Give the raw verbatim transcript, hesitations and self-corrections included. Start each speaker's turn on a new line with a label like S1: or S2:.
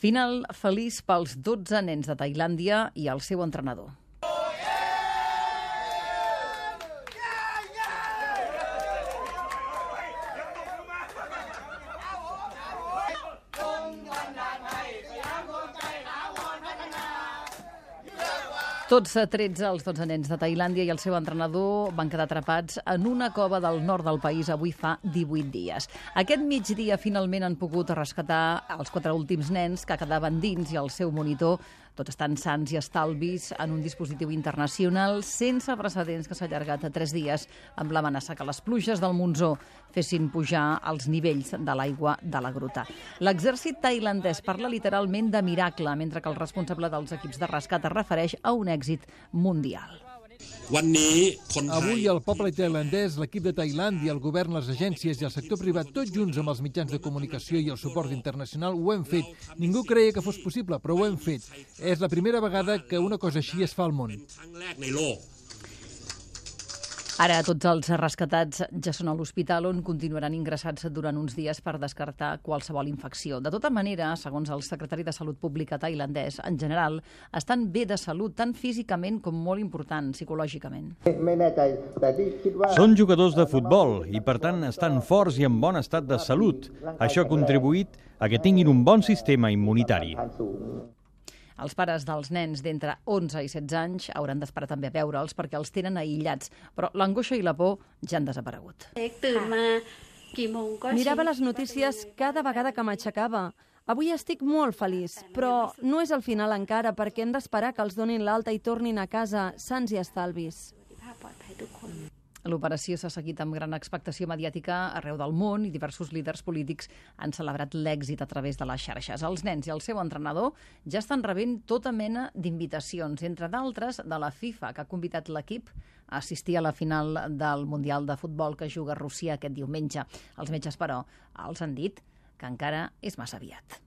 S1: Final feliç pels dotze nens de Tailàndia i el seu entrenador. Tots tretze, els dotze nens de Tailàndia i el seu entrenador van quedar atrapats en una cova del nord del país avui fa divuit dies. Aquest migdia finalment han pogut rescatar els quatre últims nens que quedaven dins i el seu monitor, tots estan sans i estalvis en un dispositiu internacional sense precedents que s'ha allargat a tres dies amb l'amenaça que les pluges del monsó fessin pujar els nivells de l'aigua de la gruta. L'exèrcit tailandès parla literalment de miracle, mentre que el responsable dels equips de rescat es refereix a un èxit mundial.
S2: Avui el poble tailandès, l'equip de Tailàndia, el govern, les agències i el sector privat, tots junts amb els mitjans de comunicació i el suport internacional, ho hem fet. Ningú creia que fos possible, però ho hem fet. És la primera vegada que una cosa així es fa al món.
S1: Ara tots els rescatats ja són a l'hospital on continuaran ingressats durant uns dies per descartar qualsevol infecció. De tota manera, segons el secretari de Salut Pública tailandès, en general, estan bé de salut tant físicament com molt important psicològicament.
S3: Són jugadors de futbol i, per tant, estan forts i en bon estat de salut. Això ha contribuït a que tinguin un bon sistema immunitari.
S1: Els pares dels nens d'entre onze i setze anys hauran d'esperar també a veure'ls perquè els tenen aïllats, però l'angoixa i la por ja han desaparegut.
S4: Mirava les notícies cada vegada que m'aixecava. Avui estic molt feliç, però no és el final encara perquè hem d'esperar que els donin l'alta i tornin a casa sans i estalvis.
S1: L'operació s'ha seguit amb gran expectació mediàtica arreu del món i diversos líders polítics han celebrat l'èxit a través de les xarxes. Els nens i el seu entrenador ja estan rebent tota mena d'invitacions, entre d'altres de la FIFA, que ha convidat l'equip a assistir a la final del Mundial de Futbol que juga a Rússia aquest diumenge. Els metges, però, els han dit que encara és massa aviat.